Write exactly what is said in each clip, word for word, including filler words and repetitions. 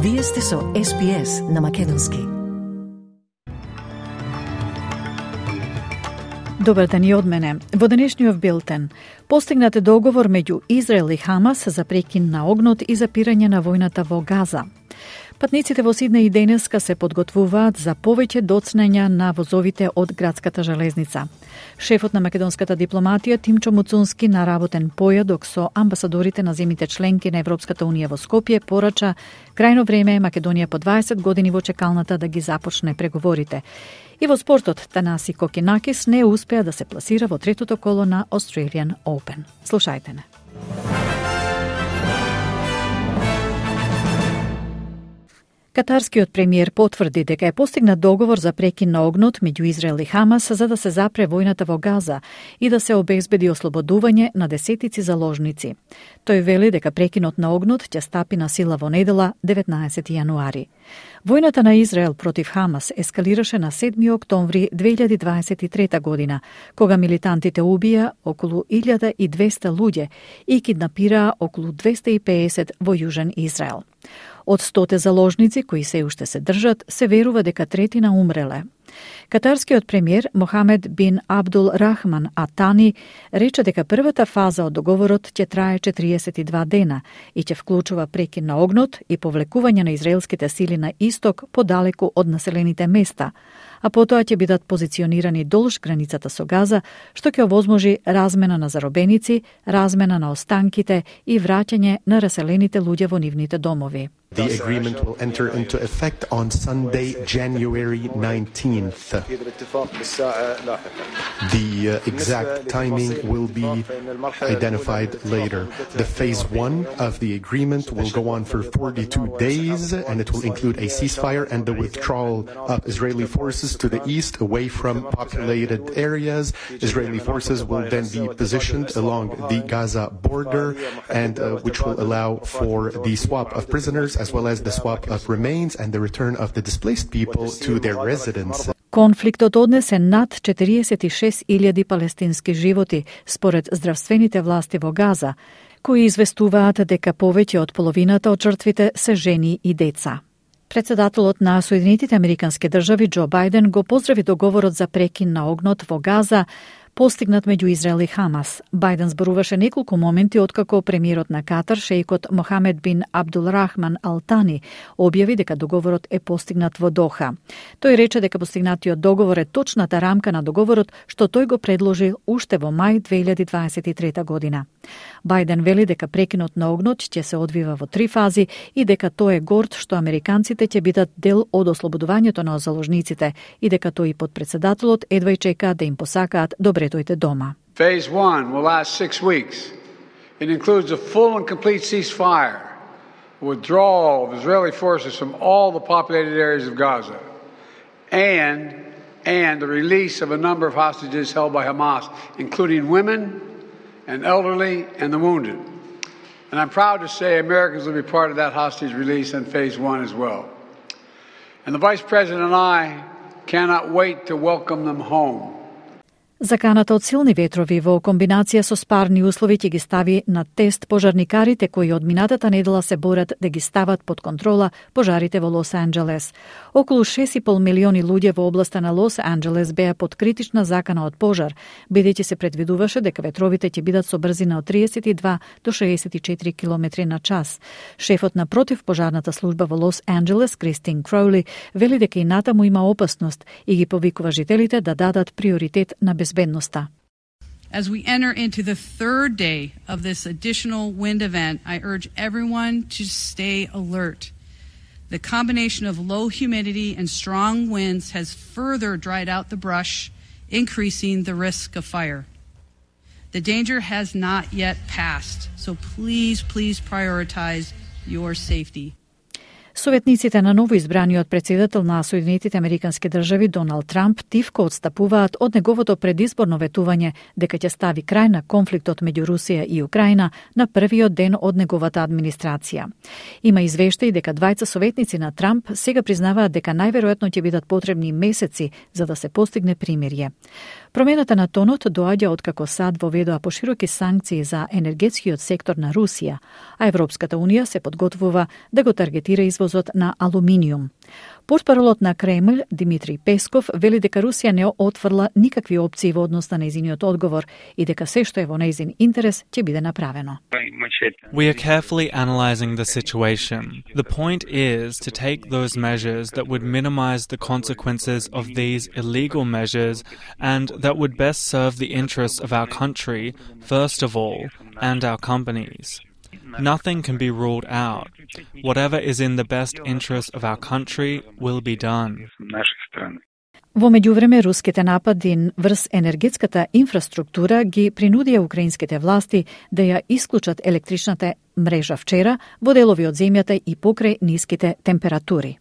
Вие сте со Ес Би Ес на Македонски. Добар ден и од мене. Во денешниот билтен постигнат договор меѓу Израел и Хамас за прекин на огнот и запирање на војната во Газа. Патниците во Сиднеј и денеска се подготвуваат за повеќе доцнења на возовите од градската железница. Шефот на македонската дипломатија Тимчо Муцунски на работен појадок со амбасадорите на земјите членки на Европската унија во Скопје порача крајно време е Македонија по дваесет години во чекалната да ги започне преговорите. И во спортот Танаси Кокинакис не успеа да се пласира во третото коло на Australian Open. Слушајте не. Катарскиот премиер потврди дека е постигнат договор за прекин на огнот меѓу Израел и Хамас за да се запре војната во Газа и да се обезбеди ослободување на десетици заложници. Тој вели дека прекинот на огнот ќе стапи на сила во недела деветнаесети јануари. Војната на Израел против Хамас ескалираше на седми октомври две илјади дваесет и трета година, кога милитантите убија околу илјада и двесте луѓе и киднапираа околу двесте и пеесет во Јужен Израел. Од стоте заложници кои се уште се држат, се верува дека третина умреле. Катарскиот премиер Мохамед бин Абдул Рахман Атани рече дека првата фаза од договорот ќе трае четириесет и два дена и ќе вклучува прекин на огнот и повлекување на израелските сили на исток подалеку од населените места, а потоа ќе бидат позиционирани долж границата со Газа, што ќе овозможи размена на заробеници, размена на останките и враќање на раселените луѓе во нивните домови. The agreement will enter into effect on Sunday, January nineteenth. The uh, exact timing will be identified later. The phase one of the agreement will go on for forty-two days, and it will include a ceasefire and the withdrawal of Israeli forces to the east away from populated areas. Israeli forces will then be positioned along the Gaza border, and uh, which will allow for the swap of prisoners as well as the swap of remains and the return of the displaced people to their residences. Конфликтот однесе над четириесет и шест илјади палестински животи, според здравствените власти во Газа, кои известуваат дека повеќе од половината од жртвите се жени и деца. Председателот на Соединетите Американски држави Џо Бајден го поздрави договорот за прекин на огнот во Газа, постигнат меѓу Израел и Хамас. Бајден зборуваше неколку моменти откако премиерот на Катар, шејкот Мохамед бин Абдул Рахман Ал Тани, објави дека договорот е постигнат во Доха. Тој рече дека постигнатиот договор е точната рамка на договорот што тој го предложи уште во мај две илјади дваесет и трета година. Бајден вели дека прекинот на огнот ќе се одвива во три фази и дека тој е горд што американците ќе бидат дел од ослободувањето на заложниците и дека тој и подпредседателот едва и чека да им посакаат добре дојде дома. Phase one will last six weeks. It includes a full and complete ceasefire, withdrawal of Israeli forces from all the populated areas of Gaza, and and the release of a number of hostages held by Hamas, including women and elderly and the wounded. And I'm proud to say Americans will be part of that hostage release in phase one as well. And the Vice President and I cannot wait to welcome them home. Заканата од силни ветрови во комбинација со спарни услови ќе ги стави на тест пожарникарите кои од минатата недела се борат да ги стават под контрола пожарите во Лос Анџелес. Околу шест и пол милиони луѓе во областа на Лос Анџелес беа под критична закана од пожар, бидејќи се предвидуваше дека ветровите ќе бидат со брзина од триесет и два до шеесет и четири километри на час. Шефот на противпожарната служба во Лос Анџелес, Кристин Кроули, вели дека и натаму има опасност и ги повикува жителите да дадат приоритет на безбедноста. As we enter into the third day of this additional wind event, I urge everyone to stay alert. The combination of low humidity and strong winds has further dried out the brush, increasing the risk of fire. The danger has not yet passed, so please, please prioritize your safety. Советниците на новоизбраниот председател на Соединетите Американски држави Доналд Трамп тивко одстапуваат од неговото предизборно ветување дека ќе стави крај на конфликтот меѓу Русија и Украина на првиот ден од неговата администрација. Има извештаи дека двајца советници на Трамп сега признаваат дека најверојатно ќе бидат потребни месеци за да се постигне примирје. Промената на тонот доаѓа откако САД воведоа пошироки санкции за енергетскиот сектор на Русија, а Европската унија се подготвува да го таргетира извоз превозот на алуминиум. Портпаролот на Кремљ, Димитри Песков, вели дека Русија не отфрла никакви опции во однос на нејзиниот одговор и дека се што е во нејзин интерес ќе биде направено. We are carefully analyzing the situation. The point is to take those measures that would minimize the consequences of these illegal measures and that would best serve the interests of our country, first of all, and our companies. Nothing can be ruled out. Whatever is in the best interest of our country will be done. Во меѓувреме, руските напади врз енергетската инфраструктура ги принудија украинските власти да ја исклучат електричната мрежа вчера во делови од земјата и покрај ниските температури.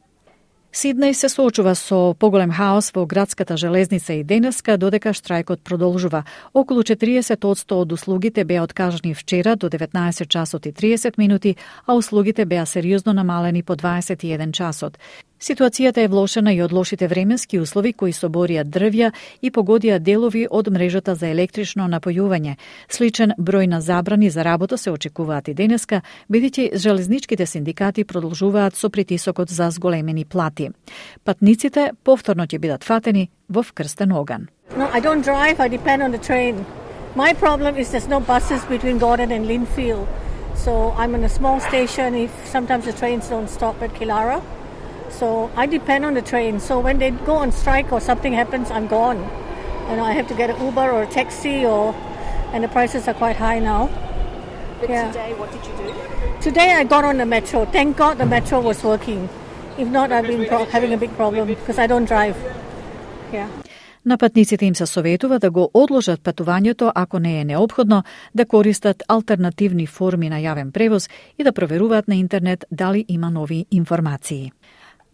Сиднеј се соочува со поголем хаос во градската железница и денеска, додека штрајкот продолжува. Околу четириесет одсто од услугите беа откажани вчера до деветнаесет часот и триесет минути, а услугите беа сериозно намалени по дваесет и еден часот. Ситуацијата е влошена и од лошите временски услови кои соборија дрвја и погодија делови од мрежата за електрично напојување. Сличен број на забрани за работа се очекуваат и денеска, бидејќи железничките синдикати продолжуваат со притисокот за зголемени плати. Патниците повторно ќе бидат фатени во вкрстен оган. No, I don't drive, I depend on the train. My problem is there's no buses between Gordon and Linfield. So I'm in a small station if sometimes the trains don't stop at Kilara. So I depend on the train. So when they go on strike or something happens, I'm gone. And I have to get an Uber or a taxi, or and the prices are quite high now. But yeah. today, what did you do? Today I got on the metro. Thank God the metro was working. If not, I've been pro- having a big problem because I don't drive. Yeah. На патниците им се советува да го одложат патувањето ако не е неопходно, да користат алтернативни форми на јавен превоз и да проверуваат на интернет дали има нови информации.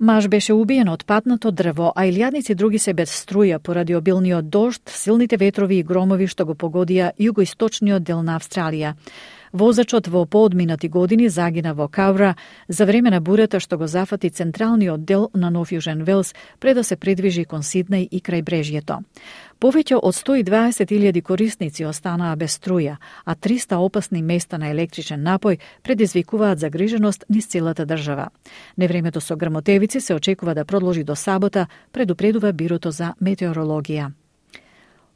Маж беше убиен од патнато дрво, а илјадници други се без струја поради обилниот дожд, силните ветрови и громови што го погодија југоисточниот дел на Австралија. Возачот во поодминати години загина во Каура за време на бурата што го зафати централниот дел на Нов Јужен Велс пред да се придвижи кон Сиднеј и крај брежјето. Повеќе од сто и дваесет илјади корисници останаа без струја, а триста опасни места на електричен напој предизвикуваат загриженост низ целата држава. Невремето со грмотевици се очекува да продолжи до сабота, предупредува Бирото за метеорологија.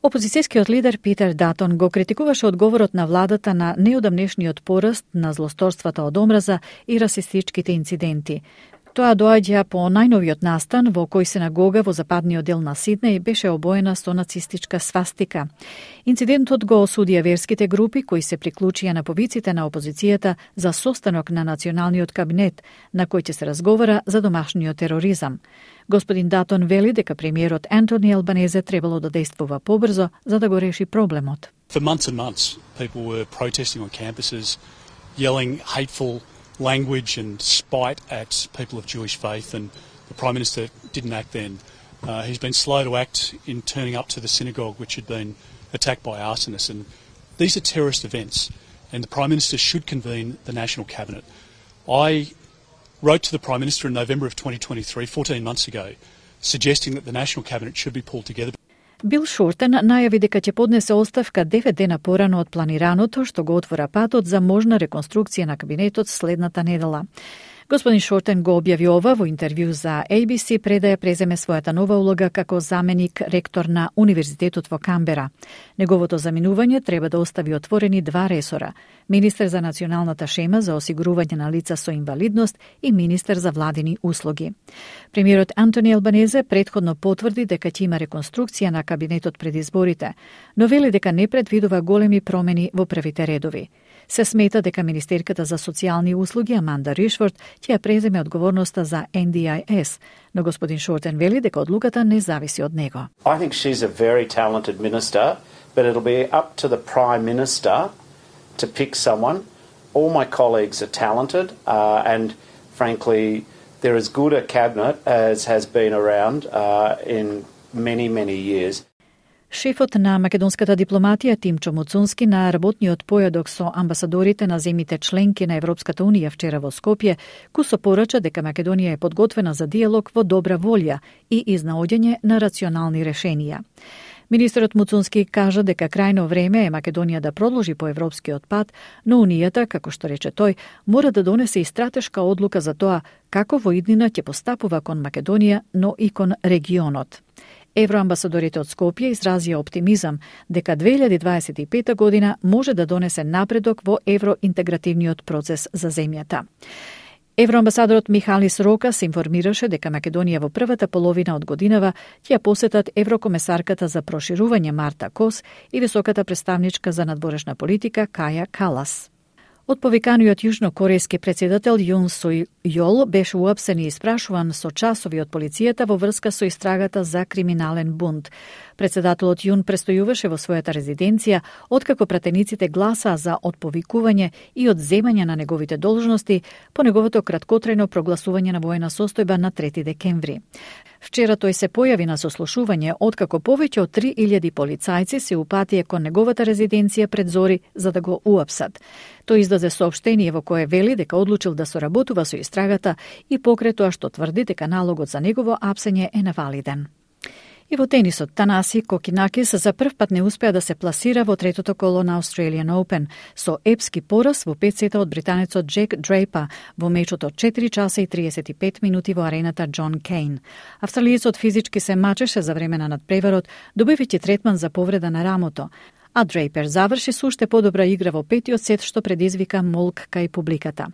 Опозицијскиот лидер Питер Датон го критикуваше одговорот на владата на неодамнешниот пораст на злосторствата од омраза и расистичките инциденти. Тоа доаѓа по најновиот настан во кој синагога во западниот дел на Сиднеј беше обоена со нацистичка свастика. Инцидентот го осудија верските групи кои се приклучија на повиците на опозицијата за состанок на националниот кабинет, на кој ќе се разговара за домашниот тероризам. Господин Датон вели дека премиерот Антони Албанезе требало да действува побрзо за да го реши проблемот. For months and months, people were protesting on campuses, yelling hateful language and spite at people of Jewish faith, and the Prime Minister didn't act then. Uh, he's been slow to act in turning up to the synagogue which had been attacked by arsonists, and these are terrorist events, and the Prime Minister should convene the National Cabinet. I wrote to the Prime Minister in November of twenty twenty-three, fourteen months ago, suggesting that the National Cabinet should be pulled together. Бил Шортен најави дека ќе поднесе оставка девет дена порано од планираното, што го отвора патот за можна реконструкција на кабинетот следната недела. Господин Шортен го објави ова во интервју за A B C пред да ја преземе својата нова улога како заменик ректор на Универзитетот во Камбера. Неговото заминување треба да остави отворени два ресора: министер за националната шема за осигурување на лица со инвалидност и министер за владини услуги. Премиерот Антони Албанезе претходно потврди дека ќе има реконструкција на кабинетот пред изборите, но вели дека не предвидува големи промени во првите редови. Се смета дека министерката за социјални услуги Аманда Ришфорд ќе ја преземе одговорноста за N D I S, но господин Шортен вели дека одлуката не зависи од него. I think she's a very talented minister, but it'll be up to the Prime Minister to pick someone. All my colleagues are talented, uh, and frankly, they're as good a cabinet as has been around uh, in many, many years. Шефот на македонската дипломатија Тимчо Муцунски на работниот појадок со амбасадорите на земите членки на Европската унија вчера во Скопје, кусо порача дека Македонија е подготвена за диалог во добра волја и изнаоѓање на рационални решенија. Министерот Муцунски кажа дека крајно време е Македонија да продолжи по европскиот пат, но Унијата, како што рече тој, мора да донесе и стратешка одлука за тоа како во иднина ќе постапува кон Македонија, но и кон регионот. Евроамбасадорите од Скопје изразија оптимизам дека две илјади дваесет и пета година може да донесе напредок во евроинтегративниот процес за земјата. Евроамбасадорот Михалис Рока се информираше дека Македонија во првата половина од годинава ќе ја посетат еврокомесарката за проширување Марта Кос и високата представничка за надворешна политика Каја Калас. Од повиканиот јужнокорејски претседател Јун Суј Јол беше уапсен и испрашуван со часови од полицијата во врска со истрагата за криминален бунт. Председателот Јун престојуваше во својата резиденција откако пратениците гласаа за отповикување и одземање на неговите должности по неговото краткотрајно прогласување на воена состојба на трети декември. Вчера тој се појави на сослушување откако повеќе од три илјади полицајци се упатија кон неговата резиденција пред зори за да го уапсат. Тој издаде соопштение во кое вели дека одлучил да соработува со истрагата и покрај тоа што тврди дека налогот за негово апсење е невалиден. И во тенисот, Танаси Кокинакис за прв пат не успеа да се пласира во третото коло на Australian Open со епски пораз во пет сета од британецот Джек Дрейпа во мечот од четири часа и триесет и пет минути во арената Џон Кейн. Австралиецот физички се мачеше за време на надпреварот, добивајќи третман за повреда на рамото, а Дрейпер заврши со уште подобра игра во петиот сет што предизвика молк кај публиката.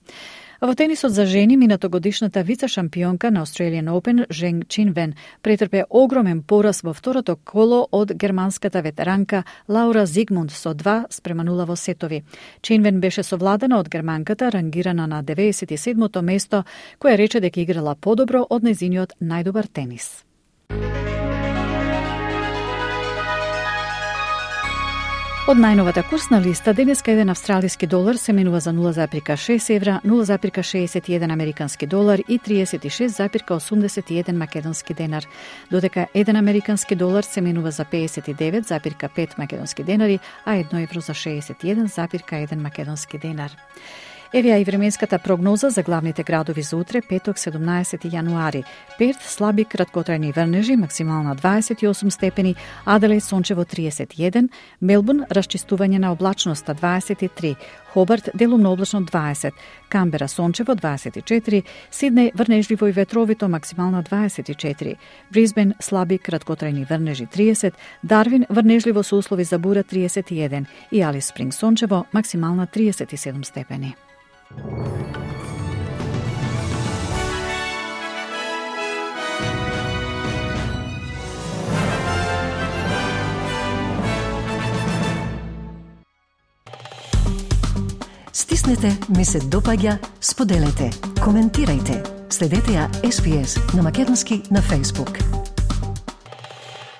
Во тенисот за жени, минатогодишната вице-шампионка на Australian Open, Женг Чинвен, претрпе огромен пораз во второто коло од германската ветеранка Лаура Зигмунд со два спрема нула во сетови. Чинвен беше совладана од германката, рангирана на деветдесет и седмото место, која рече дека играла подобро од нејзиниот најдобар тенис. Од најновата курсна листа, денеска еден австралиски долар се менува за нула запирка шест евра, нула запирка шеесет и еден американски долар и триесет и шест запирка осумдесет и еден македонски денар, додека еден американски долар се менува за пеесет и девет запирка пет македонски денари, а едно евро за шеесет и еден запирка еден македонски денар. Еве и временската прогноза за главните градови за утре, петок, седумнаесети јануари. Перт слаби краткотрајни врнежи, максимална дваесет и осум степени, Аделаид сончево триесет и еден, Мелбурн расчистување на облачноста дваесет и три, Хобарт делумно облачно дваесет, Камбера сончево дваесет и четири, Сиднеј врнежливо и ветровито максимална дваесет и четири, Брисбен слаби краткотрајни врнежи триесет, Дарвин врнежливо со услови за бура триесет и еден и Алис Спринг сончево максимална триесет и седум степени. Стиснете, ми се допаѓа, споделете, коментирајте. Следете ја Ес Би Ес на македонски на Facebook.